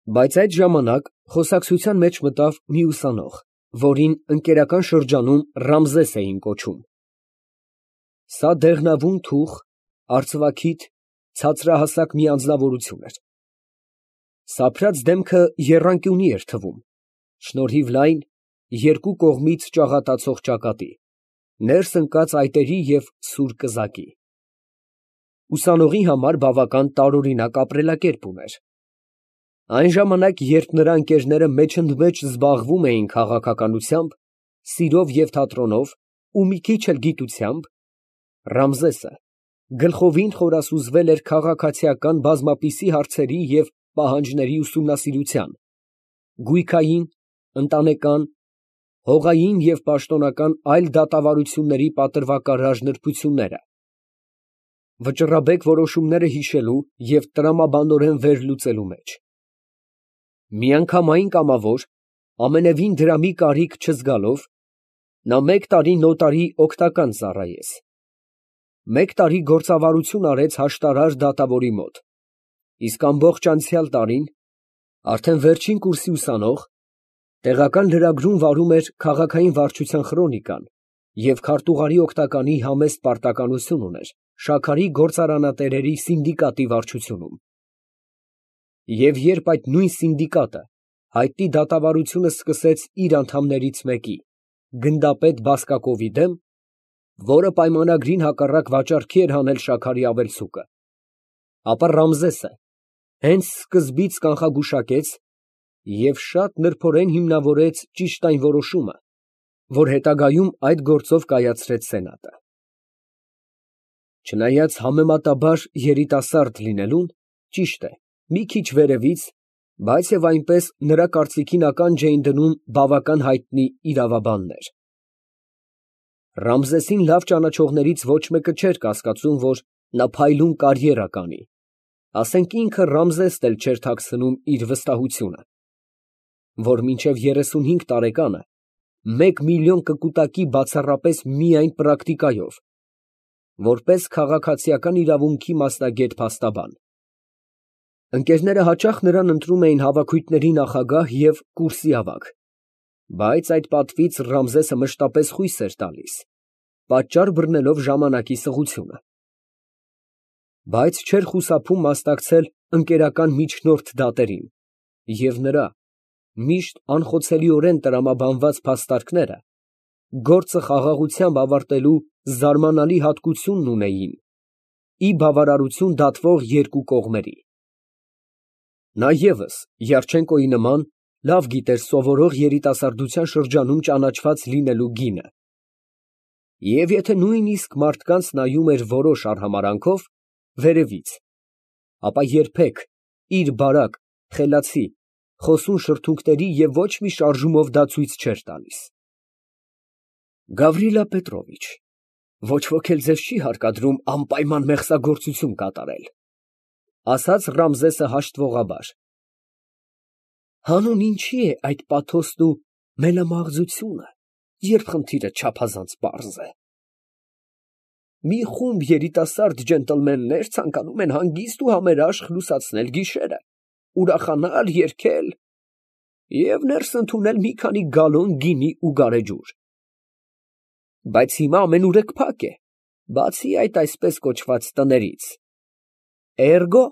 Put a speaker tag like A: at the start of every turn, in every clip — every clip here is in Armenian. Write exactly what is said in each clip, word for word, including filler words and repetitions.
A: Բայց այդ ժամանակ խոսակցության մեջ մտավ մի ուսանող, որին ընկերական շրջանում Ռամզես էին կոչում. սա դեղնավուն թուխ, արծվաքիթ, ցածրահասակ մի անձնավորություն էր. սափրած դեմքը եռանկյունի էր թվում, շնորհիվ լայն, երկու կողմից ճաղատացող ճակատի, ներս ընկած այտերի և սուր կզակի։ Ուսանողի համար բավական տարօրինակ ապրելակերպ ուներ։ Այն ժամանակ, երբ նրա ընկերները մեջընդմեջ զբաղվում էին քաղաքականությամբ, սիրով և թատրոնով ու մի քիչ էլ գիտությամբ, Ռամզեսը գլխովին խորասուզվել էր քաղաքացիական բազմապիսի հարցերի և պահանջների ուսումնասիրության, գույքային, ընտանեկան, հողային և պաշտոնական այլ դատավարությունների պատրվակարար նրբությունները, վճռաբեկ որոշումները հիշելու և տրամաբանորեն վերլուծելու մեջ։ Միանգամայն կամավոր, ամենևին դրամի կարիք չզգալով, նա մեկ տարի նոտարի օգտական ծառայեց, մեկ տարի գործավարություն արեց հաշտարար դատավորի մոտ, իսկ ամբողջ անցյալ տարին, արդեն վերջին կուրսի ուսանող, տեղական լրագրում վարում էր քաղաքային վարչության խրոնիկան և քարտուղարի օգնականի համեստ պարտականություն ուներ շաքարի գործարանատերերի սինդիկատի վարչությունում։ Եվ երբ այդ նույն սինդիկատը հայտնի դատավարությունը սկսեց իր անդամներից մեկի՝ գնդապետ Բասկակովի դեմ, որը պայմանագրին հակառակ վաճառքի էր հանել շաքարի ավելցուկը, ապա Ռամզեսը հենց սկզբից կանխագուշակեց և շատ նրբորեն հիմնավորեց ճիշտ այն որոշումը, որ հետագայում այդ գործով կայացրեց սենատը։ Չնայած համեմատաբար երիտասարդ լինելուն, ճիշտ է, մի քիչ վերևից, բայց և այնպես նրա կարծիքին ականջ էին դնում բավական հայտնի իրավաբաններ։ Ռամզեսին լավ ճանաչողներից ոչ մեկը չէր կասկածում, որ նա փայլուն կարիերա կանի, ասենք ինքը Ռամզեսն էլ չէր թաքցնում իր վստահությունը, որ մինչև երեսունհինգ տարեկանը մեկ միլիոն կկուտակի բացառապես միայն պրակտիկայով, որպես քաղաքացիական իրավունքի մասնագետ փաստաբան։ Ընկերները հաճախ նրան ընտրում էին հավաքույթների նախագահ և կուրսի ավագ, բայց այդ պատվից Ռամզեսը մշտապես խույս էր տալիս, պատճառ բռնելով ժամանակի սղությունը։ Բայց չէր խուսափում մասնակցել ընկերական միջնորդ դատերին, և նրա միշտ անխոցելիորեն տրամաբանված փաստարկները գործը խաղաղությամբ ավարտելու զարմանալի հատկությունն ունեին ի բավարարություն դատվող երկու կողմերի։ Նա ևս, Յարչենկոյի նման, լավ գիտեր սովորող երիտասարդության շրջանում ճանաչված լինելու գինը, և եթե նույնիսկ մարդկանց նայում էր որոշ արհամարհանքով, վերևից, ապա երբեք իր բարակ, խելացի, խոսուն շրթունքների և ոչ մի շարժումով դա ցույց չէր տալիս։ Գավրիլա Պետրովիչ, ոչ ոք էլ ձեզ չի հարկադրում անպայման մեղսագործություն կատարել, ֊ ասաց Ռամզեսը հաշտվողաբար։ Հանուն ինչի է այդ պաթոսն ու մելամաղձությունը, երբ խնդիրը չափազանց պարզ է։ Մի խումբ երիտասարդ ջենտլմեններ ցանկանում են հանգիստ ու համերաշխ լուսացնել գիշերը, ուրախանալ, երգել և ներս ընդունել մի քանի գալոն գինի ու գարեջուր։ Բայց հիմա ամենուրեք փակ է, բացի այդ այսպես կոչված տներից, էրգո,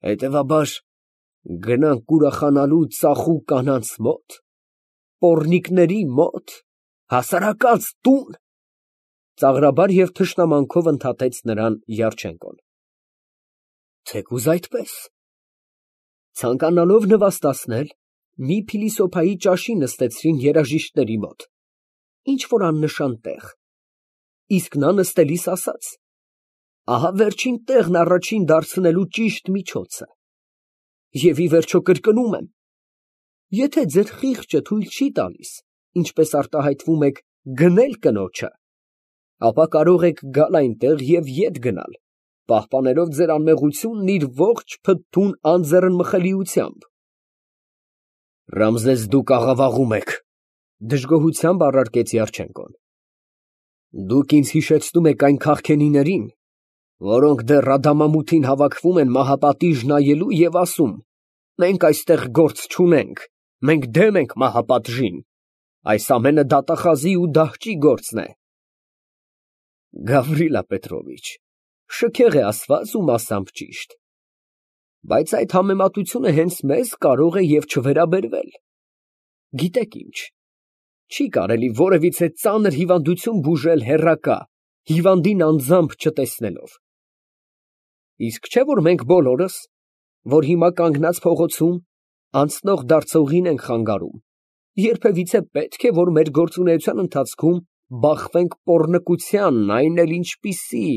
A: հետևաբար, գնանք ուրախանալու ծախու կանանց մոտ, պոռնիկների մոտ, հասարակած տուն, ծաղրաբար և թշնամանքով ընդհատեց նրան Յարչենկոն։ Թեկուզ այդպես։ Ցանկանալով նվաստացնել, մի փիլիսոփայի ճաշի նստեցրին երաժիշտների մոտ, ինչ֊որ աննշան տեղ, իսկ նա նստելիս ասաց. ահա վերջին տեղն առաջին դարձնելու ճիշտ միջոցը, և ի վերջո կրկնում եմ, եթե ձեր խիղճը թույլ չի տալիս, ինչպես արտահայտվում եք, գնել կնոջը, ապա կարող եք գալ այնտեղ և ետ գնալ, պահպանելով ձեր անմեղությունն իր ողջ փթթուն անձեռնմխելիությամբ։ Ռամզես, դուք աղավաղում եք, ֊ դժգոհությամբ առարկեց Յարչենկոն։ Դուք ինձ հիշեցնում եք այն քաղքենիներին, որոնք դեռ Ադամամութին հավաքվում են մահապատիժ նայելու և ասում. Մենք այստեղ գործ չունենք, մենք դեմ ենք մահապատժին, այս ամենը դատախազի ու դահճի գործն է։ Գավրիլա Պետրովիչ, շքեղ է ասված ու մասամբ ճիշտ, բայց այդ համեմատությունը հենց մեզ կարող է և չվերաբերվել։ Գիտեք ինչ, չի կարելի որևիցե ծանր հիվանդություն բուժել հեռակա, հիվանդին անձամբ չտեսնելով։ Իսկ չէ՞ որ մենք բոլորս, որ հիմա կանգնած փողոցում անցնող դարձողին ենք խանգարում, երբևիցե պետք է, որ մեր գործունեության ընթացքում բախվենք պոռնկության, այն էլ ինչպիսի,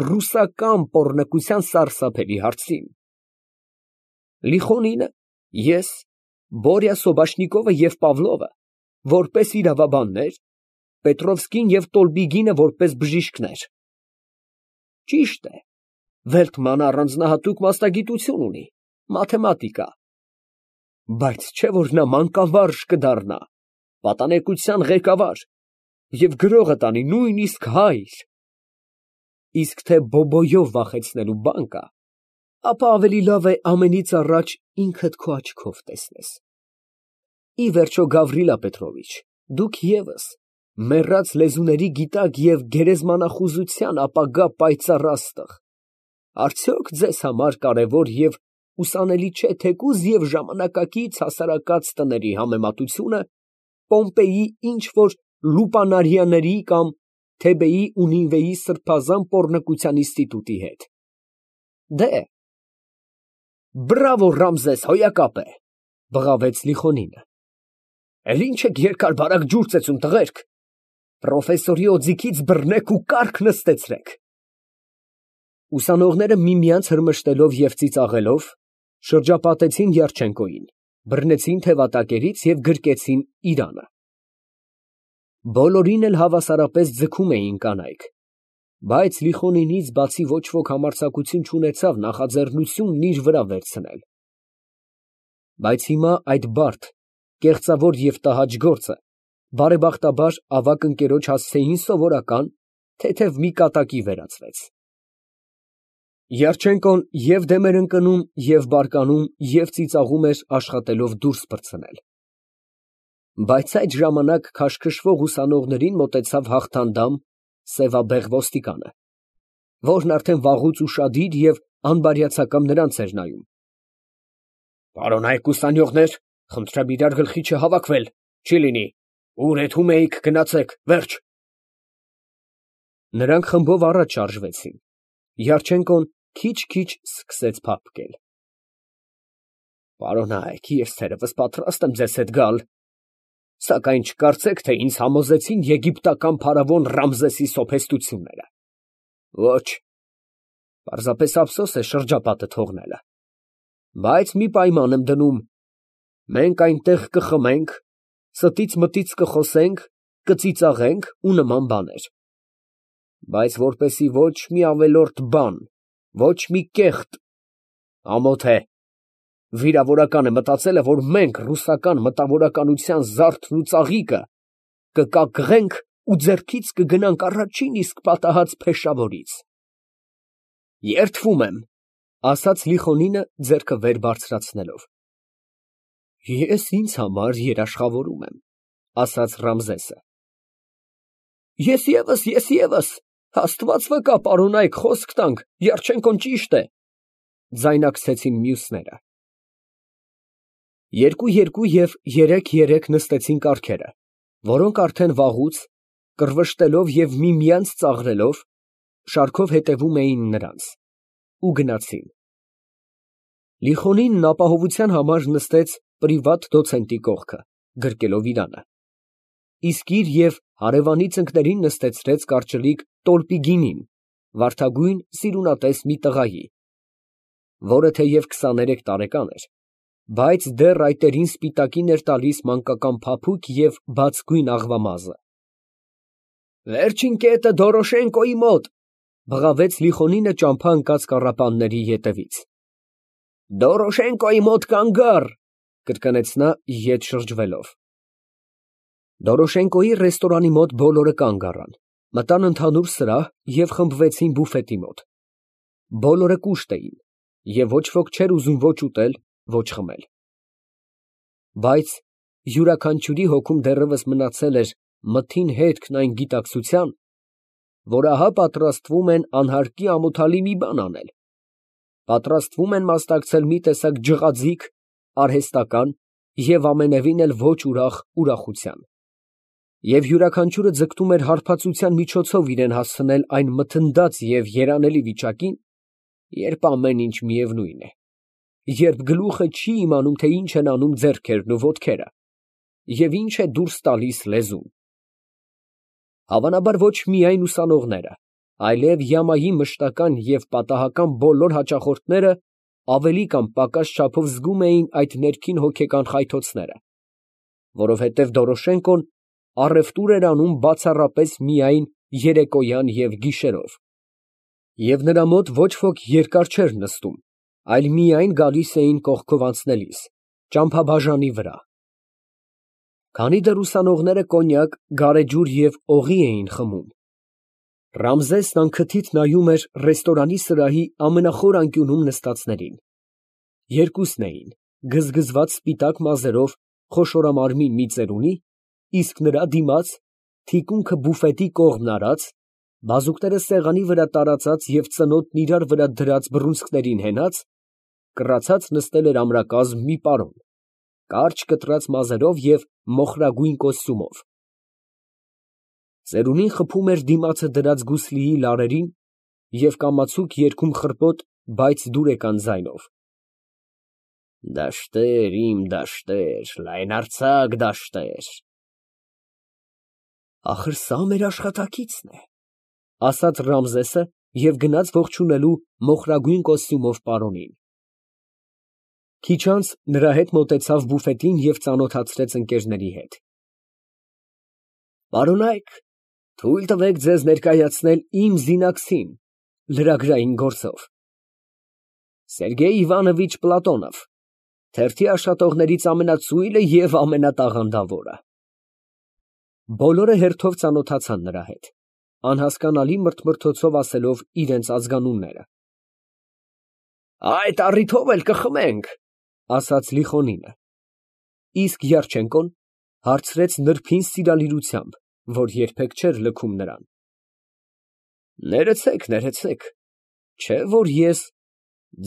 A: ռուսական պոռնկության սարսափելի հարցին։ Լիխոնինը, ես, Բորյա Սոբաշնիկովը և Պավլովը որպես իրավաբաններ, Պետրովսկին և Տոլբիգինը որպես բժիշկներ։ Ճիշտ է, Վելտմանը առանձնահատուկ մասնագիտություն ունի, մաթեմատիկա, բայց չէ՞ որ նա մանկավարժ կդառնա, պատանեկության ղեկավար և գրողը տանի նույնիսկ հայր։ Իսկ թե բոբոյով վախեցնելու բան կա, ապա ավելի լավ է ամենից առաջ ինքդ քո աչքով տեսնես։ Ի վերջո, Գավրիլա Պետրովիչ, դուք ևս մեռած լեզուների գիտակ և գերեզմանախուզության ապագա պայծառ աստղ, արդյոք ձեզ համար կարևոր և ուսանելի չէ թեկուզ և ժամանակակից հասարակած տների համեմատությունը Պոմպեյի ինչ֊որ լուպանարյանների կամ Թեբեի ու Նինվեի սրբազան պոռնկության ինստիտուտի հետ։ Դե, բրավո, Ռամզես, հոյակապ է, բղավեց Լիխոնինը։ Էլ ի՞նչ եք երկար֊բարակ ջուր ծեծում, տղերք, պրոֆեսորի օձիքից բռնեք ու կառք նստեցրեք։ Ուսանողները միմյանց հրմշտելով և ծիծաղելով շրջապատեցին Յարչենկոյին, բռնեցին թևատակերից և գրկեցին իրանը։ Բոլորին էլ հավասարապես ձգում էին կանայք, բայց Լիխոնինից բացի ոչ ոք համարձակություն չունեցավ նախաձեռնությունն իր վրա վերցնել։ Բայց հիմա այդ բարդ, կեղծավոր և տհաճ գործը բարեբախտաբար ավագ ընկերոջ հասցեին սովորական, թեթև մի կատակի վերածվեց։ Յարչենկոն և դեմ էր ընկնում, և բարկանում, և ծիծաղում էր, աշխատելով դուրս պրծնել։ Բայց այդ ժամանակ քաշքշվող ուսանողներին մոտեցավ հաղթանդամ, սևաբեղ ոստիկանը, որն արդեն վաղուց ուշադիր և անբարյացակամ նրանց էր նայում։ Պարոնայք ուսանյոğներ, խնդրեմ իրար գլխի չհավաքվել, չի լինի, ուր եթում էիք, գնացեք, վերջ։ Նրանք խմբով առաջ շարժվեցին, Յարչենկոն քիչ֊քիչ սկսեց փափկել։ Պարոնայք, ես թերևս պատրաստ եմ ձեզ հետ գալ, սակայն չկարծեք, թե ինձ համոզեցին եգիպտական փարավոն Ռամզեսի սոփեստությունները։ Ոչ, պարզապես ափսոս է շրջապատը թողնելը, բայց մի պայման եմ դնում. մենք այնտեղ կխմենք, ստից մտից կխոսենք, կծիծաղենք ու նման բաներ, բայց որպեսզի ոչ մի ավելորդ բան, ոչ մի կեղտ, ամոթ է, վիրավորական է մտածելը, որ մենք ռուսական մտավորականության զարդն ու ծաղիկը կկակղենք ու ձեռքից կգնանք առաջին իսկ պատահած փեշավորից։ Երդվում եմ, ասաց Լիխոնինը ձեռքը վեր բարձրացնելով։ Ես ինձ համար երաշխավորում եմ, ասաց Ռամզեսը։ Ես ևս, ես ևս, Աստված վկա, պարոնայք, խոսք տանք, Յարչենկոն ճիշտ է, ձայնակցեցին մյուսները։ Երկու֊երկու և երեք֊երեք նստեցին կառքերը, որոնք արդեն վաղուց, կռվշտելով և միմյանց ծաղրելով, շարքով հետևում էին նրանց, ու գնացին։ Լիխոնինն ապահովության համար նստեց պրիվատ դոցենտի կողքը, գրկելով իրանը, իսկ իր և հարևանի ծնկներին նստեցրեց կարճլիկ Տոլպիգինին, վարդագույն սիրունատես մի տղայի, որը թեև քսաներեք տարեկան էր, բայց դեռ այտերին սպիտակին էր տալիս մանկական փափուկ և բացգույն աղվամազը։ Վերջին կետը Դորոշենկոյի մոտ, բղավեց Լիխոնինը ճամփա ընկած կառապանների ետևից։ Դորոշենկոյի մոտ կանգ առ, կրկնեց նա ետ շրջվելով։ Դորոշենկոյի ռեստորանի մոտ բոլորը կանգ առան, մտան ընդհանուր սրահ և խմբվեցին բուֆետի մոտ։ Բոլորը կուշտ էին, և ոչ ոք չէր ուզում ոչ ուտել, ոչ խմել։ Բայց յուրաքանչյուրի հոգում դեռևս մնացել էր մթին հետքն այն գիտակցության, որ ահա պատրաստվում են անհարկի ամոթալի մի բան անել, պատրաստվում են մասնակցել մի տեսակ ջղաձիգ, արհեստական և ամենևին էլ ոչ ուրախ ուրախության, և յուրաքանչյուրը ձգտում էր հարբածության միջոցով իրան հասցնել այն մթնդած և երանելի վիճակին, երբ ամեն ինչ միևնույն է, երբ գլուխը չի իմանում, թե ինչ են անում ձեռքերն ու ոտքերը և ինչ է դուրս տալիս լեզուն։ Հավանաբար ոչ միայն ուսանողները, այլև յամայի մշտական և պատահական բոլոր հաճախորդները ավելի կամ պակաս չափով զգում էին այդ ներքին հոգեկան խայթոցները, որովհետև Դորոշենկոն առևտուր էր անում բացառապես միայն երեկոյան և գիշերով, և նրա մոտ ոչ ոք երկար չէր նստում, այլ միայն գալիս էին կողքով անցնելիս, ճամփաբաժանի վրա։ Քանի դեռ ուսանողները կոնյակ, գարեջուր և օղի էին խմում, Ռամզեսն անքթիթ նայում էր ռեստորանի սրահի ամենախոր անկյունում նստածներին. երկուսն էին գզգզված սպիտակ մազերով խոշորամարմին մի ծերունի, իսկ նրա դիմաց, թիկունքը բուֆետի կողմն արած, բազուկները սեղանի վրա տարածած և ծնոտն իրար վրա դրած բռունցքներին հենած, կռացած նստել էր ամրակազմ մի պարոն, կարճ կտրած մազերով և մոխրագույն կոստյումով. ծերունին խփում էր դիմացը դրած գուսլիի լարերին և կամացուկ երգում խռպոտ, բայց դուրեկան ձայնով. Դաշտեր, իմ դաշտեր, լայնարձակ դաշտեր… Ախր սա մեր աշխատակիցն է, ասաց Ռամզեսը և գնաց ողջունելու մոխրագույն կոստյումով պարոնին։ Քիչ անց նրա հետ մոտեցավ բուֆետին և ծանոթացրեց ընկերների հետ։ Պարոնա՛յք, թույլ տվեք ձեզ ներկայացնել իմ զինակցին լրագրային գործով. Սերգեյ Իվանովիչ Պլատոնով, թերթի աշխատողներից ամենածույլը և ամենատաղանդավորը։ Բոլորը հերթով ծանոթացան նրա հետ, անհասկանալի մրթմրթոցով ասելով իրենց ազգանունները։ Այդ առիթով էլ կխմենք, ասաց Լիխոնինը, իսկ Յարչենկոն հարցրեց նրբին սիրալիրությամբ, որ երբեք չէր լքում նրան. Ներեցեք, ներեցեք, չէ՞ որ ես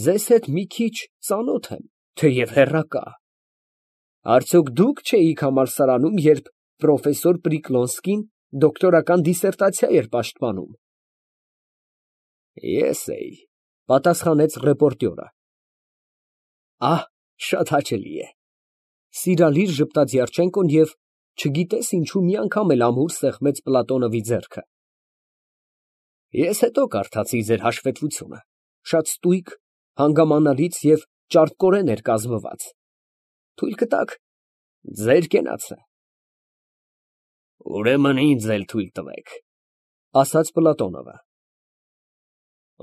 A: ձեզ հետ մի քիչ ծանոթ եմ, թեև հեռակա… Արդյոք դուք չէիք համալսարանում, երբ պրոֆեսոր Պրիկլոնսկին դոկտորական դիսերտացիա էր պաշտպանում։ Ես էի, պատասխանեց ռեպորտյորը։ Ահ, շատ հաճելի է, սիրալիր ժպտաց Յարչենկոն և, չգիտես ինչու, մի անգամ էլ ամուր սեղմեց Պլատոնովի ձեռքը։ Ես հետո կարդացի ձեր հաշվետվությունը, շատ ստույգ, հանգամանալից և ճարպկորեն էր կազմված, թույլ կտաք, ձեր կենացը։ Ուրեմն ինձ էլ թույլ տվեք, ասաց Պլատոնովը։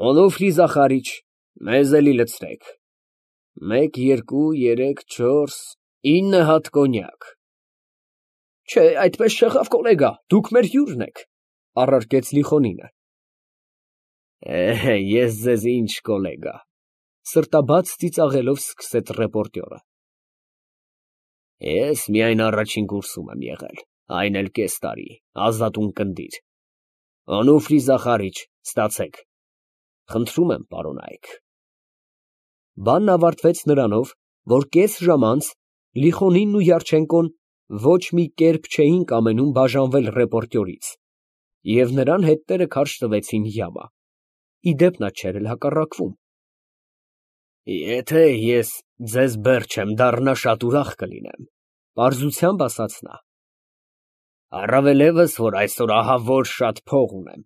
A: Օնուֆրի Զախարիչ, մեզ էլի լցրեք, մեկ, երկու, երեք, չորս, ինը հատ կոնյակ։ Չէ, այդպես չեղավ, գոլեգա, դուք մեր հյուրն եք, առարկեց Լիխոնինը։ Է, ես ձեզ ինչ գոլեգա, սրտաբաց ծիծաղելով սկսեց ռեպորտյորը։ Ես միայն առաջին կուրսում եմ եղել, այն էլ կես տարի, ազատուն կնդիր։ Օնուֆրի Զախարիչ, ստացեք, խնդրում եմ, պարոնայք։ Բանն ավարտվեց նրանով, որ կես ժամ անց Լիխոնինն ու Յարչենկոն ոչ մի կերպ չէին կամենում բաժանվել ռեպորտյորից, և նրան հետները քարշ տվեցին յամա, ի դեպ նա չէր էլ հակառակվում։ Եթե ես ձեզ բեռ չեմ դառնա, շատ ուրախ կլինեմ, պարզությամբ ասաց նա։ Առավելևս, որ այսօր ահա որ շատ փող ունեմ։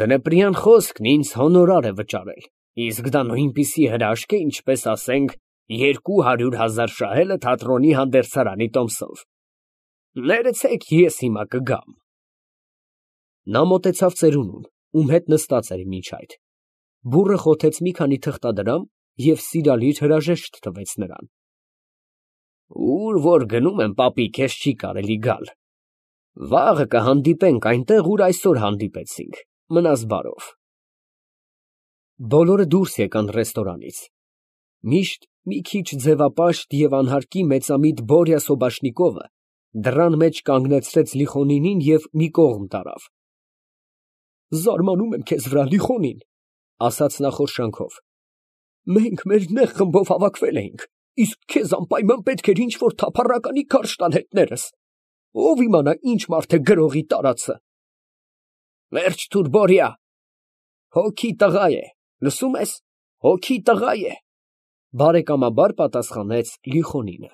A: Դնեպրյան խոսքն ինձ հոնորար է վճարել, իսկ դա նույնպիսի հրաշք է, ինչպես, ասենք, երկու հարյուր հազար շահելը թատրոնի հանդերձարանի տոմսով։ Ներեցեք, ես հիմա կգամ։ Նա մոտեցավ ծերունուն, ում հետ նստած էր մինչ այդ, բուռը խոթեց մի քանի թղթադրամ և սիրալիր հրաժեշտ տվեց նրան։ Ուր որ գնում եմ, պապիկ, քեզ չի կարելի գալ։ Վաղը կհանդիպենք այնտեղ, ուր այսօր հանդիպեցինք, մնաս բարով։ Բոլորը դուրս եկան ռեստորանից։ Միշտ Մի քիչ ձևապաշտ և անհարկի մեծամիտ Բորյա Սոբաշնիկովը դռան մեջ կանգնեցրեց Լիխոնինին և մի կողմ տարավ։ ֊ Զարմանում եմ քեզ վրա, Լիխոնին, ֊ ասաց նա խորշանքով, ֊ մենք մեր նեղ խմբով հավաքվել էինք, իսկ քեզ անպայման պետք էր ինչ֊որ թափառականի քարշ տալ հետներս. ով իմանա ինչ մարդ է գրողի տարածը։ ֊ Վերջ տուր, Բորյա, հոգի տղա է, լսո՞ւմ ես, հոգի տղա է, ֊ բարեկամաբար պատասխանեց Լիխոնինը։